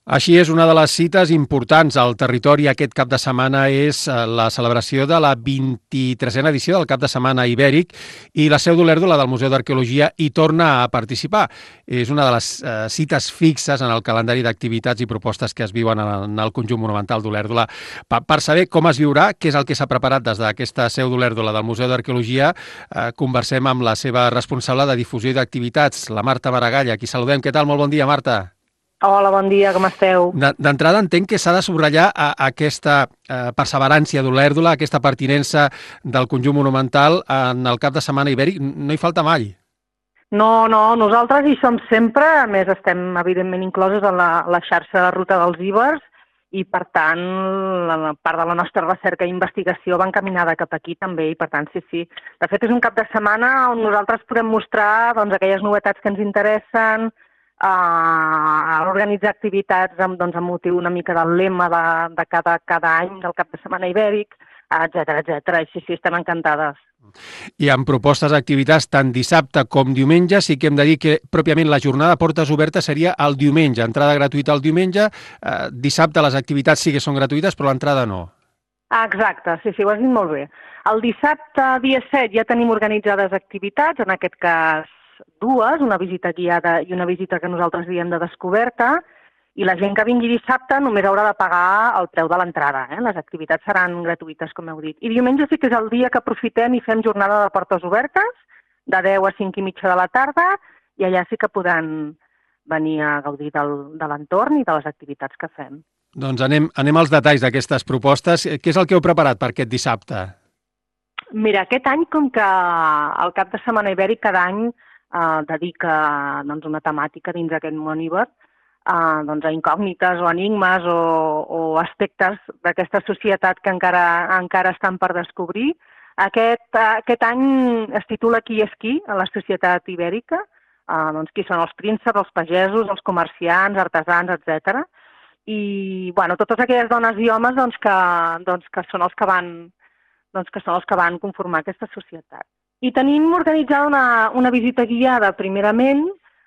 Així és, una de les cites importants al territori aquest cap de setmana és la celebració de la 23a edició del cap de setmana ibèric i la Seu d'Olèrdola del Museu d'Arqueologia hi torna a participar. És una de les cites fixes en el calendari d'activitats i propostes que es viuen en el conjunt monumental d'Olèrdola. Per saber com es viurà, què és el que s'ha preparat des d'aquesta Seu d'Olèrdola del Museu d'Arqueologia, conversem amb la seva responsable de difusió i d'activitats, la Marta Maragall, a qui saludem. Què tal? Molt bon dia, Marta. Hola, bon dia, com esteu? D'entrada entenc que s'ha de subratllar aquesta perseverància d'Olèrdola, aquesta pertinença del conjunt monumental en el cap de setmana ibèric. No hi falta mai. No, nosaltres hi som sempre, a més estem evidentment inclosos en la xarxa de ruta dels ibers i per tant la part de la nostra recerca i investigació va encaminada cap aquí també i per tant sí. De fet és un cap de setmana on nosaltres podem mostrar doncs, aquelles novetats que ens interessen, a organitzar activitats amb motiu una mica del lema de cada any del cap de setmana ibèric, etcètera. I sí, estem encantades. I amb propostes d'activitats tant dissabte com diumenge, sí que hem de dir que pròpiament la jornada de portes obertes seria el diumenge, entrada gratuïta el diumenge, dissabte les activitats sí que són gratuïtes, però l'entrada no. Exacte, sí, ho has dit molt bé. El dissabte, dia 7, ja tenim organitzades activitats, en aquest cas dues, una visita guiada i una visita que nosaltres diem de descoberta, i la gent que vingui dissabte només haurà de pagar el preu de l'entrada. Les activitats seran gratuïtes, com heu dit. I diumenge sí que és el dia que aprofitem i fem jornada de portes obertes, de 10 a 5 i mitja de la tarda, i allà sí que podran venir a gaudir de l'entorn i de les activitats que fem. Doncs anem als detalls d'aquestes propostes. Què és el que heu preparat per aquest dissabte? Mira, aquest any, com que el cap de setmana ibèric cada any dedica una temàtica dins d'aquest món ibèric, a incògnites o enigmes o aspectes d'aquesta societat que encara estan per descobrir. Aquest any es titula Qui és qui a la societat ibèrica, qui són els prínceps, els pagesos, els comerciants, artesans, etc. I totes aquelles dones i homes que són els que van conformar aquesta societat. I tenim organitzada una visita guiada, primerament,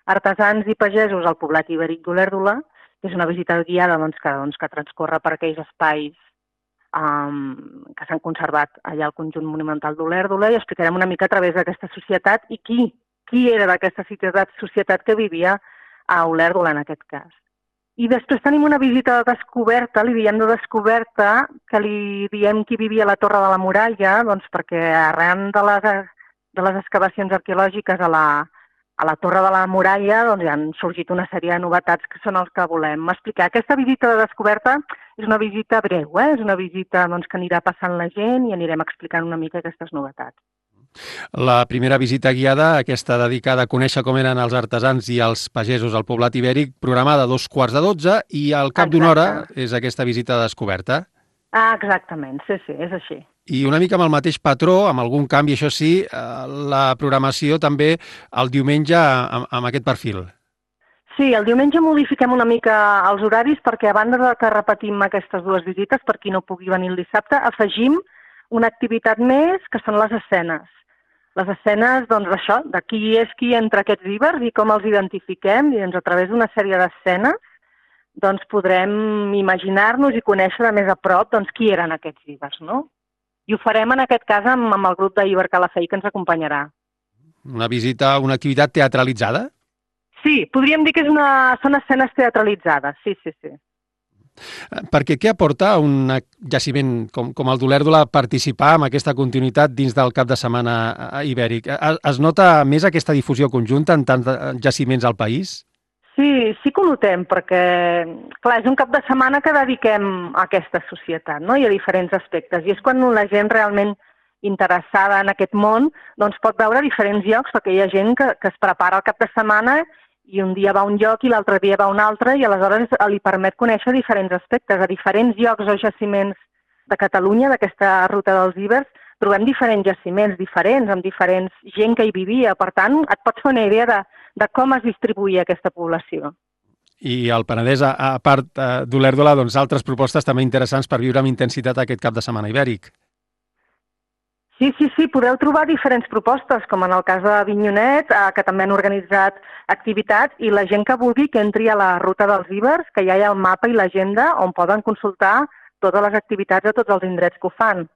artesans i pagesos al poblat ibèric d'Olèrdola, que és una visita guiada que transcorre per aquells espais que s'han conservat allà al conjunt monumental d'Olèrdola i explicarem una mica a través d'aquesta societat i qui era d'aquesta societat que vivia a Olèrdola en aquest cas. I després tenim una visita de descoberta, li diem de descoberta, que li diem qui vivia a la Torre de la Muralla, perquè arran de les excavacions arqueològiques a la Torre de la Muralla han sorgit una sèrie de novetats que són els que volem explicar. Aquesta visita de descoberta és una visita breu, és una visita que anirà passant la gent i anirem explicant una mica aquestes novetats. La primera visita guiada, aquesta dedicada a conèixer com eren els artesans i els pagesos al poblat ibèric, programada a 2:15 i al cap d'una hora és aquesta visita de descoberta. Exactament, sí, és així. I una mica amb el mateix patró, amb algun canvi, això sí, la programació també el diumenge amb aquest perfil. Sí, el diumenge modifiquem una mica els horaris perquè a banda de que repetim aquestes dues visites, per qui no pugui venir el dissabte, afegim una activitat més que són les escenes. Les escenes, això, de qui és qui entre aquests ibers i com els identifiquem, i a través d'una sèrie d'escenes podrem imaginar-nos i conèixer de més a prop qui eren aquests ibers, no? I ho farem en aquest cas amb el grup d'Iber Calafell que ens acompanyarà. Una visita, una activitat teatralitzada? Sí, podríem dir que són escenes teatralitzades, sí. Perquè què aporta un jaciment com el d'Olèrdola participar en aquesta continuïtat dins del cap de setmana ibèric? Es nota més aquesta difusió conjunta en tants jaciments al país? Sí que ho notem, perquè clar, és un cap de setmana que dediquem a aquesta societat, no? I a diferents aspectes. I és quan la gent realment interessada en aquest món pot veure diferents llocs, perquè hi ha gent que es prepara el cap de setmana i un dia va a un lloc i l'altre dia va a un altre i aleshores li permet conèixer diferents aspectes. A diferents llocs o jaciments de Catalunya, d'aquesta ruta dels ibers, trobem diferents jaciments diferents, amb diferents gent que hi vivia. Per tant, et pots fer una idea de com es distribuïa aquesta població. I al Penedès, a part d'Olèrdola, altres propostes també interessants per viure amb intensitat aquest cap de setmana ibèric. Sí, podeu trobar diferents propostes, com en el cas de Avinyonet, que també han organitzat activitats, i la gent que vulgui que entri a la ruta dels Ibers, que ja hi ha el mapa i l'agenda on poden consultar totes les activitats a tots els indrets que ho fan.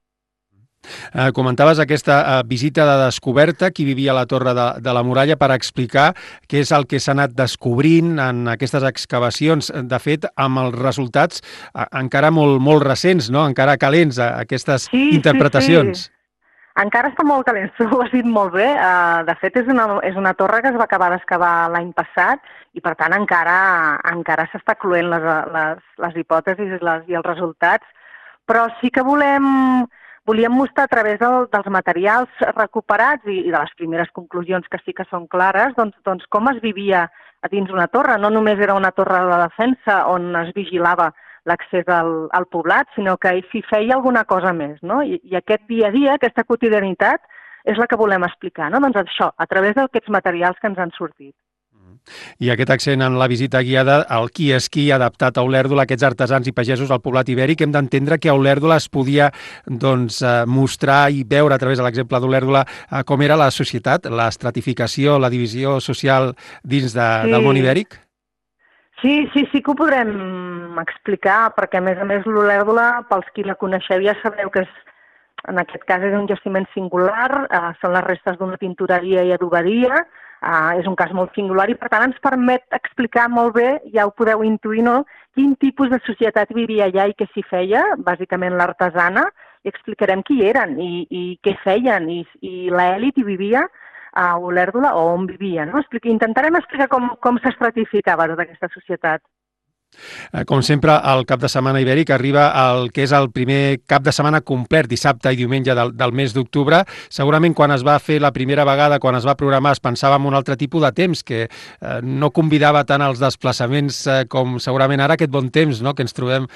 Comentaves aquesta visita de descoberta, qui vivia a la Torre de la Muralla, per explicar què és el que s'ha anat descobrint en aquestes excavacions. De fet, amb els resultats encara molt recents, no? Encara calents, aquestes interpretacions. Sí. Encara està molt calent, ho has dit molt bé. De fet, és una torre que es va acabar d'excavar l'any passat i, per tant, encara s'està cluent les hipòtesis i els resultats. Però sí que volíem mostrar a través dels materials recuperats i de les primeres conclusions que sí que són clares, doncs com es vivia a dins una torre. No només era una torre de defensa on es vigilava l'accés al poblat, sinó que s'hi feia alguna cosa més, no? I aquest dia a dia, aquesta quotidianitat, és la que volem explicar, no? Doncs això, a través d'aquests materials que ens han sortit. I aquest accent en la visita guiada, el qui és qui adaptat a Olèrdola, aquests artesans i pagesos al poblat ibèric, hem d'entendre que a Olèrdola es podia mostrar i veure a través de l'exemple d'Olèrdola com era la societat, l'estratificació, la divisió social dins del món ibèric? Sí que ho podrem explicar, perquè a més l'Olèrdola, pels qui la coneixeu ja sabeu que en aquest cas és un jaciment singular, són les restes d'una tintoreria i adoberia, és un cas molt singular i per tant ens permet explicar molt bé, ja ho podeu intuir, no?, quin tipus de societat vivia allà i què s'hi feia, bàsicament l'artesana, i explicarem qui eren i què feien i l'elit hi vivia a Olèrdola o on vivia, no? Intentarem explicar com s'estratificava tota aquesta societat. Com sempre, el cap de setmana ibèric arriba al que és el primer cap de setmana complet, dissabte i diumenge del mes d'octubre. Segurament quan es va fer la primera vegada, quan es va programar, es pensava en un altre tipus de temps, que no convidava tant als desplaçaments com segurament ara aquest bon temps, no?, que ens trobem,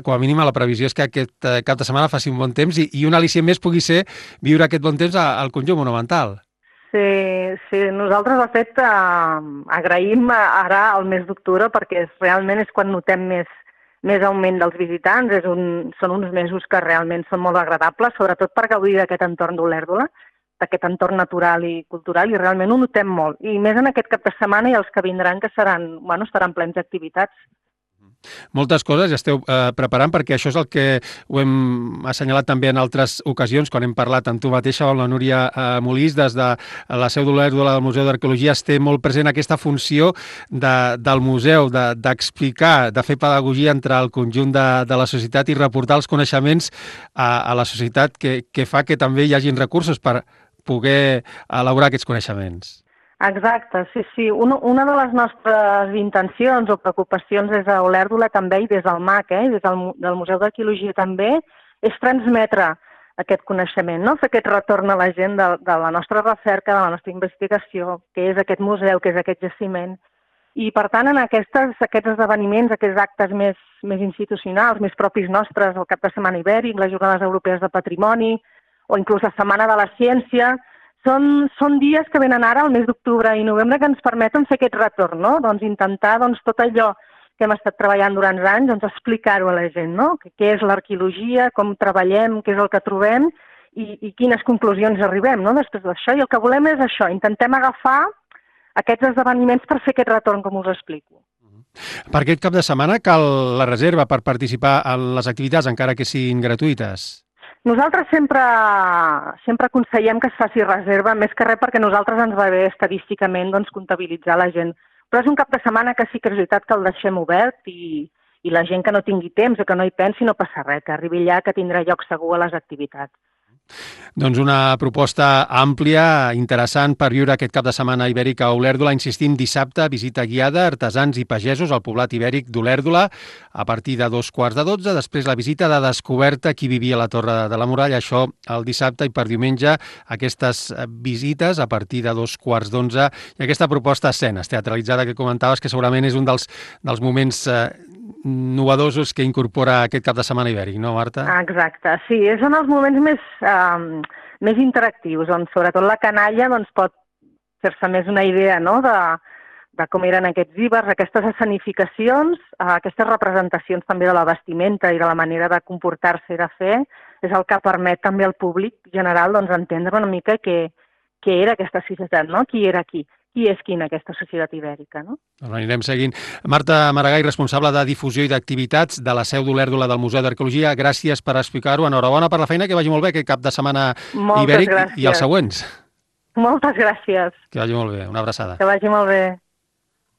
com a mínim a la previsió és que aquest cap de setmana faci un bon temps i un al·licient més pugui ser viure aquest bon temps al conjunt monumental. Sí, nosaltres, de fet, agraïm ara el mes d'octubre perquè realment és quan notem més augment dels visitants. Són uns mesos que realment són molt agradables, sobretot per gaudir d'aquest entorn d'Olèrdola, d'aquest entorn natural i cultural, i realment ho notem molt. I més en aquest cap de setmana i els que vindran, que estaran plens d'activitats. Moltes coses ja esteu preparant, perquè això és el que ho hem assenyalat també en altres ocasions, quan hem parlat amb tu mateixa, amb la Núria Molís, des de la seu d'Olèrdola del Museu d'Arqueologia. Es té molt present aquesta funció del museu, d'explicar, de fer pedagogia entre el conjunt de la societat i reportar els coneixements a la societat, que fa que també hi hagin recursos per poder elaborar aquests coneixements. Exacte, sí. Una de les nostres intencions o preocupacions des d'Olèrdola també i des del MAC, des del Museu d'Arqueologia també, és transmetre aquest coneixement, no? Fer aquest retorn a la gent de la nostra recerca, de la nostra investigació, que és aquest museu, que és aquest jaciment. I, per tant, en aquests esdeveniments, aquests actes més institucionals, més propis nostres, el Cap de Setmana Ibèric, les Jornades Europees de Patrimoni o inclús la Setmana de la Ciència, són dies que venen ara, al mes d'octubre i novembre, que ens permeten fer aquest retorn, no? Doncs intentar tot allò que hem estat treballant durant anys, doncs explicar-ho a la gent, no? Què és l'arqueologia, com treballem, què és el que trobem i quines conclusions arribem, no?, després d'això. I el que volem és això, intentem agafar aquests esdeveniments per fer aquest retorn, com us explico. Per aquest cap de setmana cal la reserva per participar en les activitats, encara que siguin gratuïtes? Nosaltres sempre aconsellem que es faci reserva, més que res perquè a nosaltres ens va bé estadísticament comptabilitzar la gent. Però és un cap de setmana que sí que és veritat que el deixem obert i la gent que no tingui temps o que no hi pensi no passa res, que arribi allà, que tindrà lloc segur a les activitats. Doncs una proposta àmplia, interessant per viure aquest cap de setmana ibèric a Olèrdola. Insistim, dissabte, visita guiada, artesans i pagesos al poblat ibèric d'Olèrdola a partir de 11:45. Després la visita de descoberta, qui vivia a la Torre de la Muralla, això el dissabte, i per diumenge aquestes visites a partir de 11:15. I aquesta proposta escenes teatralitzada que comentaves, que segurament és un dels moments novedosos que incorpora aquest cap de setmana ibèric, no, Marta? Exacte, sí, són els moments més interactius, on sobretot la canalla pot fer-se més una idea, no?, de com eren aquests ibers, aquestes escenificacions, aquestes representacions també de la vestimenta i de la manera de comportar-se i de fer. és el que permet també al públic general doncs, entendre una mica què era aquesta societat, no? Qui era qui és qui en aquesta societat ibèrica, no? Doncs anirem seguint. Marta Maragall, responsable de difusió i d'activitats de la seu d'Olèrdola del Museu d'Arqueologia, gràcies per explicar-ho. Enhorabona per la feina, que vagi molt bé aquest cap de setmana ibèric i els següents. Moltes gràcies. Que vagi molt bé. Una abraçada. Que vagi molt bé.